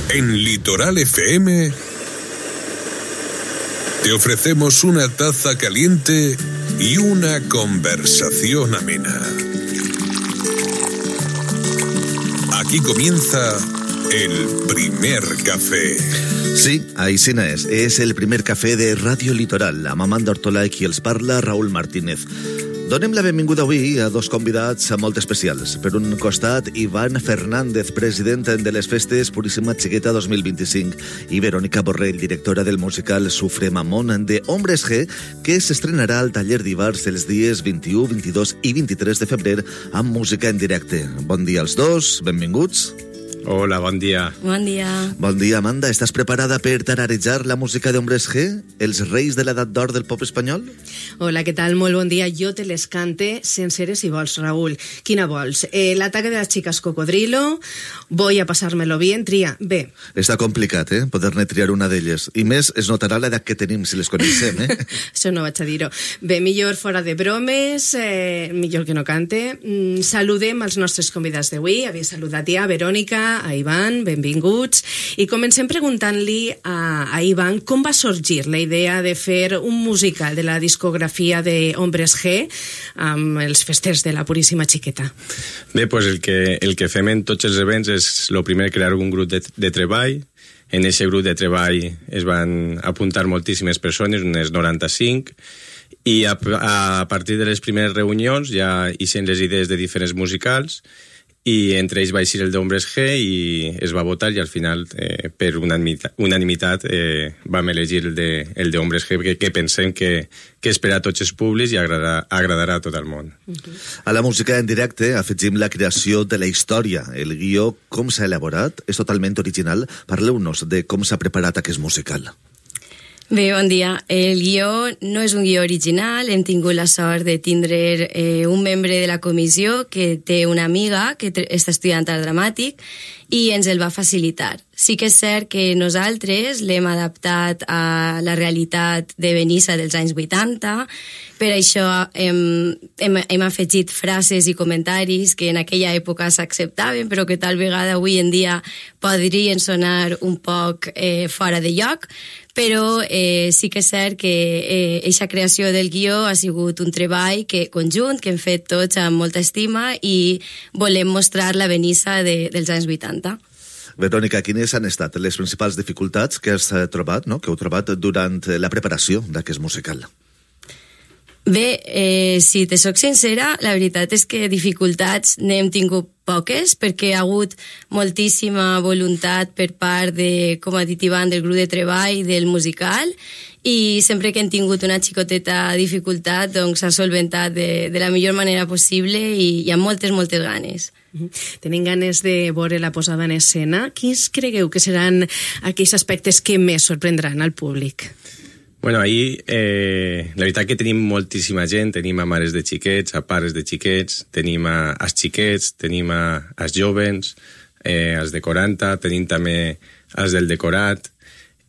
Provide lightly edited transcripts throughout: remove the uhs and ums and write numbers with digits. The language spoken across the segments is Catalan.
En Litoral FM te ofrecemos una taza caliente y una conversación amena. Aquí comienza el primer café. Sí, així és el primer cafè de Ràdio Litoral, amb Amanda Ortola i qui els parla, Raúl Martínez. Donem la benvinguda avui a dos convidats molt especials. Per un costat, Iván Fernández, president de les festes Puríssima Xiqueta 2025, i Verónica Borrell, directora del musical Sufre Mamón de Hombres G, que s'estrenarà al taller d'Ivars els dies 21, 22 i 23 de febrer amb música en directe. Bon dia als dos, benvinguts. Hola, bon dia. Bon dia. Bon dia, Amanda. Estàs preparada per tararejar la música de Hombres G, els reis de l'edat d'or del pop espanyol? Hola, què tal? Molt bon dia. Jo te les cante senceres si vols, Raúl. Quina vols? L'ataque de las chicas cocodrilo, voy a pasármelo bien, tria. Bé. Està complicat, poder-ne triar una d'elles. I més, es notarà l'edat que tenim si les coneixem, Això no vaig a dir-ho. Bé, millor fora de bromes, millor que no cante. Saludem els nostres convidats d'avui. Havia saludat ja a Verònica, a Iván, benvinguts. I comencem preguntant-li a Iván com va sorgir la idea de fer un musical de la discografia de Hombres G amb els festers de la Puríssima Xiqueta. Bé, doncs el que fem en tots els events és, el primer, crear un grup de treball. En aquest grup de treball es van apuntar moltíssimes persones, unes 95, i a partir de les primeres reunions ja ixen les idees de diferents musicals, i entre ells va eixir el d'Hombres G i es va votar, i al final per unanimitat vam elegir el d'Hombres G, que pensem que és per a tots els públics i agradarà a tot el món. A la música en directe afegim la creació de la història. El guió, com s'ha elaborat, és totalment original. Parleu-nos de com s'ha preparat aquest musical. Bé, bon dia. El guió no és un guió original. Hem tingut la sort de tindre un membre de la comissió que té una amiga que està estudiant art dramàtic i ens el va facilitar. Sí que és cert que nosaltres l'hem adaptat a la realitat de Benissa dels anys 80, per això hem afegit frases i comentaris que en aquella època s'acceptaven, però que tal vegada avui en dia podrien sonar un poc fora de lloc, però sí que és cert que aquesta creació del guió ha sigut un treball conjunt que hem fet tots amb molta estima i volem mostrar la Benissa dels anys 80. Verònica, quines han estat les principals dificultats que has trobat, que heu trobat durant la preparació d'aquest musical? Bé, si te soc sincera, la veritat és que dificultats n'hem tingut poques, perquè hi ha hagut moltíssima voluntat per part de, com ha dit Iván, del grup de treball, del musical, i sempre que hem tingut una xicoteta dificultat, doncs s'ha solventat de la millor manera possible i hi ha moltes ganes. Tenim ganes de veure la posada en escena. Quins cregueu que seran aquells aspectes que més sorprendran al públic? Bueno, ahir, la veritat que tenim moltíssima gent, tenim a mares de xiquets, a pares de xiquets, tenim als xiquets, tenim als jovens, als de 40, tenim també als del decorat,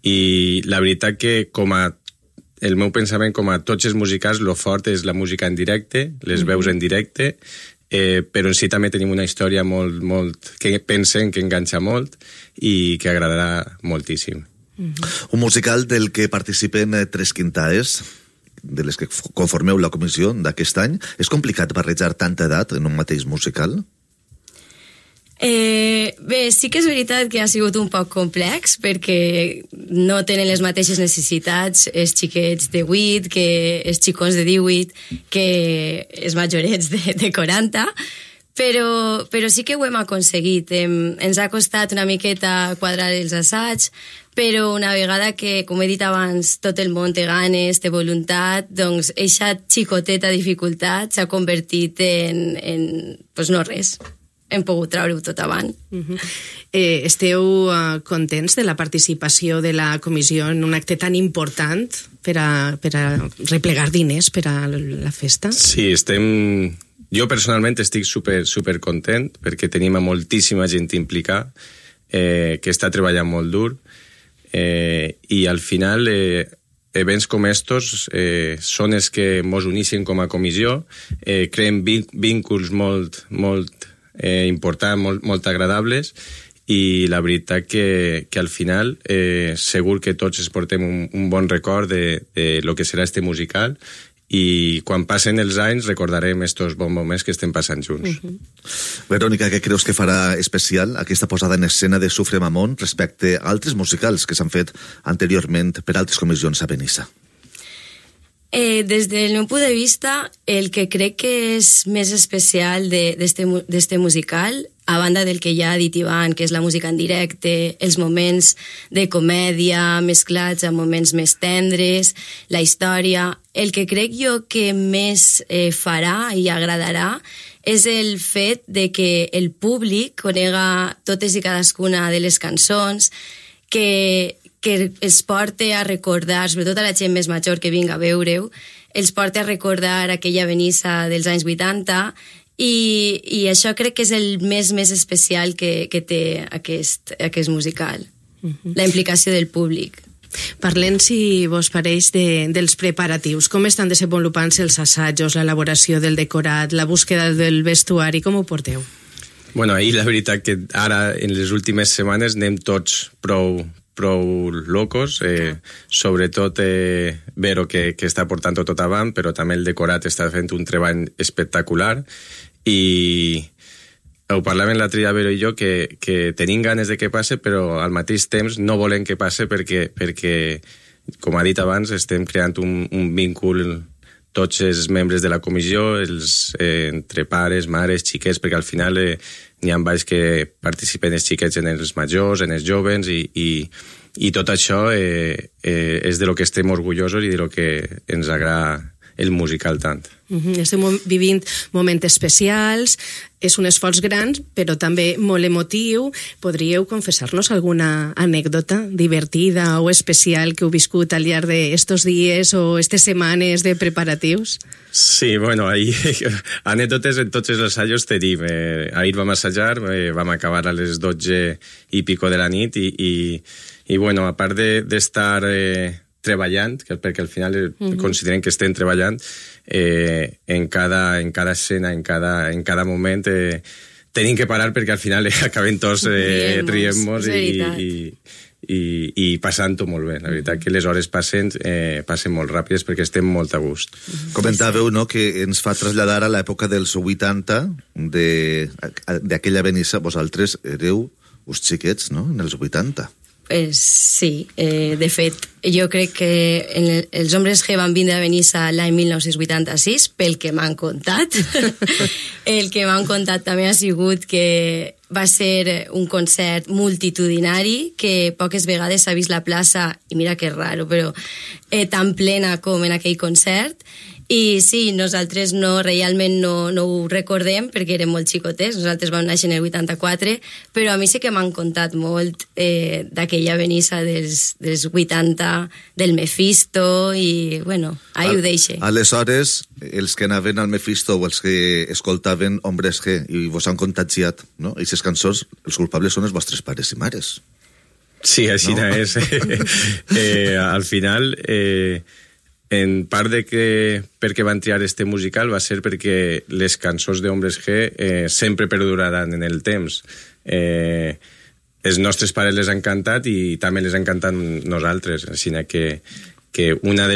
i la veritat que el meu pensament, com a tots els musicals, lo fort és la música en directe, les veus en directe, però en si també tenim una història molt que pensem que enganxa molt i que agradarà moltíssim. Un musical del que participen 3 quintaes, de les que conformeu la comissió d'aquest any. És complicat barrejar tanta edat en un mateix musical? Bé, sí que és veritat que ha sigut un poc complex perquè no tenen les mateixes necessitats els xiquets de 8 que els xicons de 18 que els majorets de 40, però sí que ho hem aconseguit. Ens ha costat una miqueta quadrar els assaigs, però una vegada que, com he dit abans, tot el món té ganes, té voluntat, doncs eixa xicoteta dificultat s'ha convertit en pues no res. Hem pogut treure-ho tot avant. Esteu contents de la participació de la comissió en un acte tan important per a replegar diners per a la festa? Sí, jo personalment estic super content perquè tenim moltíssima gent implicada que està treballant molt dur i al final events com estos són els que ens uneixen com a comissió, creen vínculs molt importants, molt agradables, i la veritat que al final segur que tots es portem un bon record de lo que serà este musical, i quan passen els anys recordarem estos bons moments que estem passant junts. Verònica, què creus que farà especial aquesta posada en escena de Sufre Mamón respecte a altres musicals que s'han fet anteriorment per altres comissions a Benissa? Des del meu punt de vista, el que crec que és més especial d'este musical, a banda del que ja ha dit Ivan, que és la música en directe, els moments de comèdia mesclats amb moments més tendres, la història, el que crec jo que més farà i agradarà és el fet de que el públic conega totes i cadascuna de les cançons, que els porte a recordar, sobretot a la gent més major que vinga a veure-ho, els porte a recordar aquella Benissa dels anys 80, i això crec que és el més especial que té aquest musical, la implicació del públic. Parlem, si vos pareix, dels preparatius. Com estan desenvolupant-se els assajos, l'elaboració del decorat, la búsqueda del vestuari, com ho porteu? Bueno, ahir la veritat que ara, en les últimes setmanes, anem tots prou locos, sobretot Vero, que està portant tot avant, però també el decorat està fent un treball espectacular, i ho parlàvem l'altre dia Vero i jo, que tenim ganes de que passe, però al mateix temps no volem que passe perquè com ha dit abans, estem creant un vincul tots els membres de la comissió, entre pares, mares, xiquets, perquè al final n'hi ha baix que participen els xiquets en els majors, en els joves, i tot això és de lo que estem orgullosos i de lo que ens agrada el musical tant. Estem vivint moments especials, és un esforç gran, però també molt emotiu. Podríeu confessar-nos alguna anècdota divertida o especial que heu viscut al llarg d'estos dies o estes setmanes de preparatius? Sí, bueno, ahir anècdotes en tots els assajos tenim. Ahir vam assajar, vam acabar a les 12 i pico de la nit i bueno, a part d'estar treballant, perquè al final considerem que estem treballant, en cada escena, en cada moment tenim que parar perquè al final acabem tots rient-nos i passant-ho molt bé. La veritat que les hores passen molt ràpides perquè estem molt a gust. Comentàveu, no?, que ens fa traslladar a l'època dels 80 d'aquella Benissa. Vosaltres éreu uns xiquets, no?, en els 80. Sí, de fet, jo crec que els Hombres G van vindre a Benissa l'any 1986, pel que m'han contat. El que m'han contat també ha sigut que va ser un concert multitudinari, que poques vegades s'ha vist la plaça, i mira que és raro, però tan plena com en aquell concert. I sí, nosaltres realment no ho recordem perquè érem molt xicotets, nosaltres vam néixer en el 84, però a mi sí que m'han contat molt d'aquella Benissa dels 80, del Mephisto, i bueno, ahí ho deixe. Aleshores, els que anaven al Mephisto o els que escoltaven Hombres G i vos han contagiat, no? Aquestes cançons, els culpables són els vostres pares i mares. Sí, així no és. Al final... en part de que perquè van triar este musical va ser perquè les cançons d'Hombres G sempre perduraran en el temps. Els nostres pares les han cantat i també les han cantat nosaltres, així que una de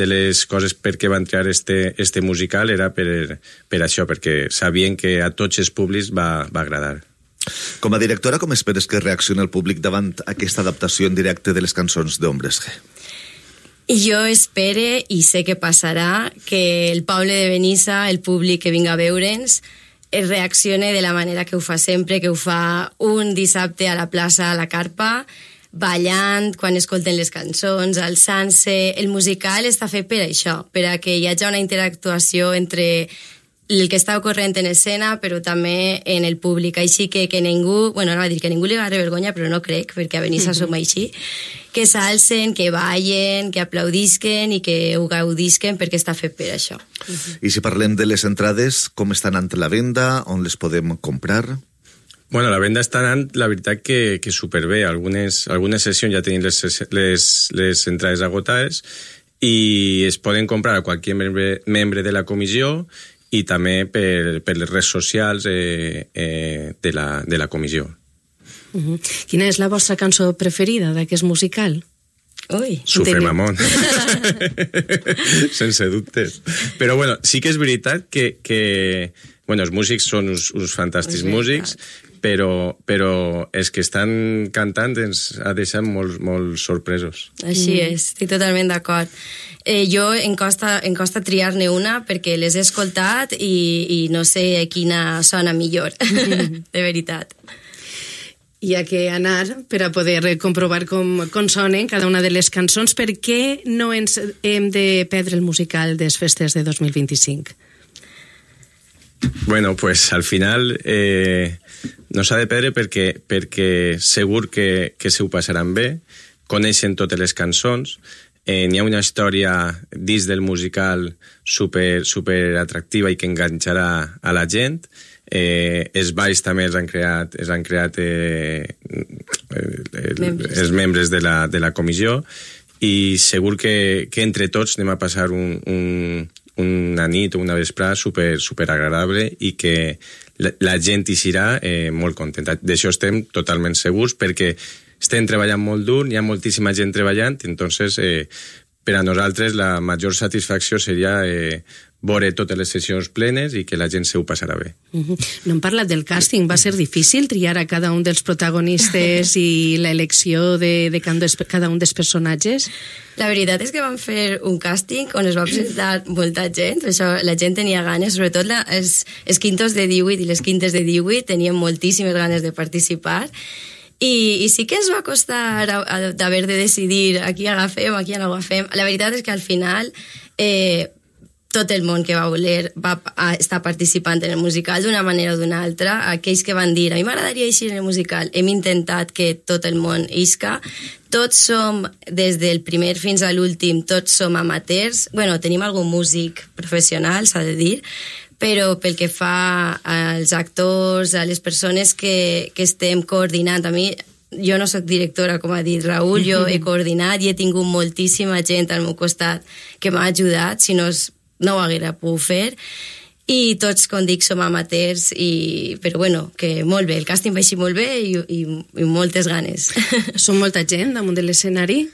les coses per què van triar este musical era per això, perquè sabien que a tots els públics va agradar. Com a directora, com esperes que reaccioni el públic davant aquesta adaptació en directe de les cançons d'Hombres G? Jo espere, i sé que passarà, que el poble de Benissa, el públic que vinga a veure'ns, reaccione de la manera que ho fa sempre, que ho fa un dissabte a la plaça a la Carpa, ballant quan escolten les cançons, alçant-se. El musical està fet per això, per a que hi hagi una interactuació entre el que està ocorrent en escena, però també en el públic. Així que ningú, bueno, no va dir que ningú li va vergonya, però no crec, perquè a Benissa som així, que s'alcen, que ballen, que aplaudisquen i que ho gaudisquen, perquè està fet per això. I si parlem de les entrades, com estan ante la venda? On les podem comprar? Bueno, la venda està anant, la veritat que superbé. Algunes sessions ja tenim les entrades agotades i es poden comprar a qualsevol membre de la comissió i també per les redes socials de la comissió. Quina és la vostra cançó preferida d'aquest musical? Ui. Sufre Mamón. Sense dubtes. Però bueno, sí que és veritat que bueno, els músics són uns fantàstics músics, però els que estan cantant ens ha deixat molt sorpresos. Així és, estic totalment d'acord. Jo em costa triar-ne una perquè les he escoltat i no sé quina sona millor, de veritat. Hi ha que anar per a poder comprovar com sonen cada una de les cançons. Per què no ens hem de perdre el musical des festes de 2025? Bueno, pues al final no s'ha de perdre perquè segur que se ho passaran bé, coneixen totes les cançons, n'hi ha una història dins del musical super atractiva i que enganxarà a la gent. Els balls també els han creat els membres de la comissió i segur que entre tots anem a passar una nit o una vesprada super agradable i que la gent hi serà molt contenta. D'això estem totalment segurs perquè estem treballant molt dur, hi ha moltíssima gent treballant, entonces per a nosaltres la major satisfacció seria veure totes les sessions plenes i que la gent se ho passarà bé. No hem parlat del càsting. Va ser difícil triar a cada un dels protagonistes i l'elecció de cada un dels personatges? La veritat és que vam fer un càsting on es va presentar molta gent, això la gent tenia ganes, sobretot els quintos de 18 i les quintes de 18 tenien moltíssimes ganes de participar i sí que es va costar d'haver de decidir a qui agafem, a qui no agafem. La veritat és que al final tot el món que va voler va estar participant en el musical d'una manera o d'una altra. Aquells que van dir, a mi m'agradaria eixir en el musical, hem intentat que tot el món isca. Tots som, des del primer fins a l'últim, tots som amateurs. Bueno, tenim algun músic professional, s'ha de dir, però pel que fa als actors, a les persones que estem coordinant, a mi jo no soc directora, com ha dit Raül, jo he coordinat i he tingut moltíssima gent al meu costat que m'ha ajudat, si no ho haguera pogut fer, i tots, com dic, som amateurs, però bueno, que molt bé, el càsting va així molt bé i moltes ganes. Són molta gent damunt de l'escenari?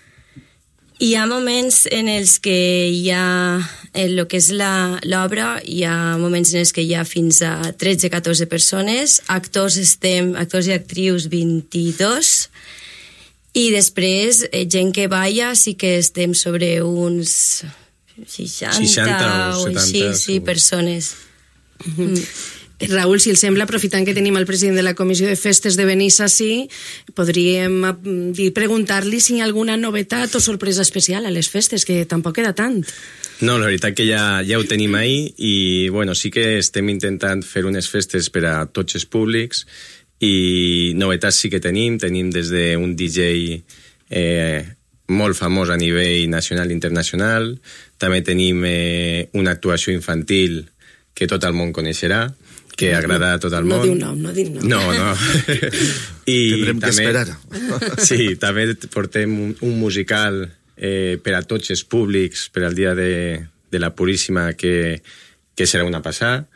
Hi ha moments en els que hi ha, en el que és l'obra, hi ha moments en els que hi ha fins a 13-14 persones, actors i actrius 22, i després gent que balla sí que estem sobre uns 60 o 70 sí, persones. Raül, si els sembla, aprofitant que tenim el president de la Comissió de Festes de Benissa ací, podríem preguntar-li si hi ha alguna novetat o sorpresa especial a les festes, que tampoc queda tant. No, la veritat que ja ho tenim ahí i bueno, sí que estem intentant fer unes festes per a tots els públics i novetats sí que tenim des d'un DJ molt famós a nivell nacional i internacional. També tenim una actuació infantil que tot el món coneixerà, que agrada a tot el món. No diu nom. No. Tindrem que esperar. Sí, també portem un musical per a tots els públics per al dia de la Puríssima que serà una passada,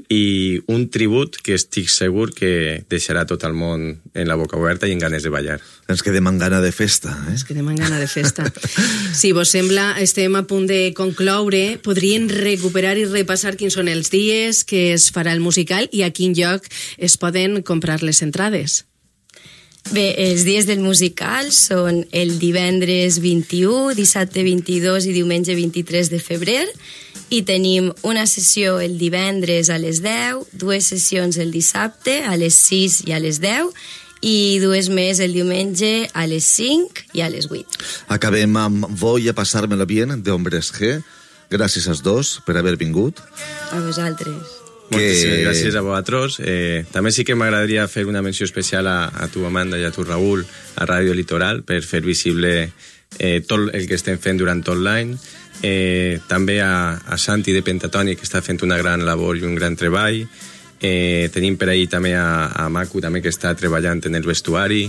i un tribut que estic segur que deixarà tot el món en la boca oberta i en ganes de ballar. Ens quedem amb gana de festa, eh? Ens quedem amb gana de festa. Si vos sembla, estem a punt de concloure. Podríem recuperar i repassar quins són els dies que es farà el musical i a quin lloc es poden comprar les entrades. Bé, els dies del musical són el divendres 21, dissabte 22 i diumenge 23 de febrer, i tenim una sessió el divendres a les 10, dues sessions el dissabte a les 6 i a les 10, i dues més el diumenge a les 5 i a les 8. Acabem amb Voy a pasármelo bien, de Hombres G. Gràcies als dos per haver vingut. A vosaltres. Moltíssimes gràcies a vosaltres. També sí que m'agradaria fer una menció especial a tu, Amanda, i a tu, Raül, a Ràdio Litoral, per fer visible tot el que estem fent durant tot l'any. També a Santi de Pentatònic, que està fent una gran labor i un gran treball. Tenim per ahir també a Macu, també, que està treballant en el vestuari.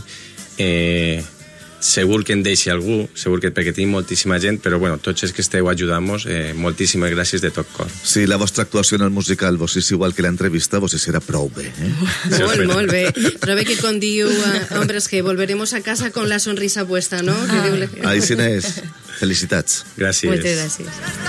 segur que en deixi algú, segur que perquè tenim moltíssima gent, però bueno, tots els que esteu ajudant-nos, moltíssimes gràcies de tot cor. Sí, la vostra actuació en el musical vos és igual que l'entrevista, vos serà prou bé. Molt bé. Però bé que com diu, hombres, que volveremos a casa con la sonrisa puesta, ¿no? Així n'és. Felicitats. Gràcies. Moltes gràcies.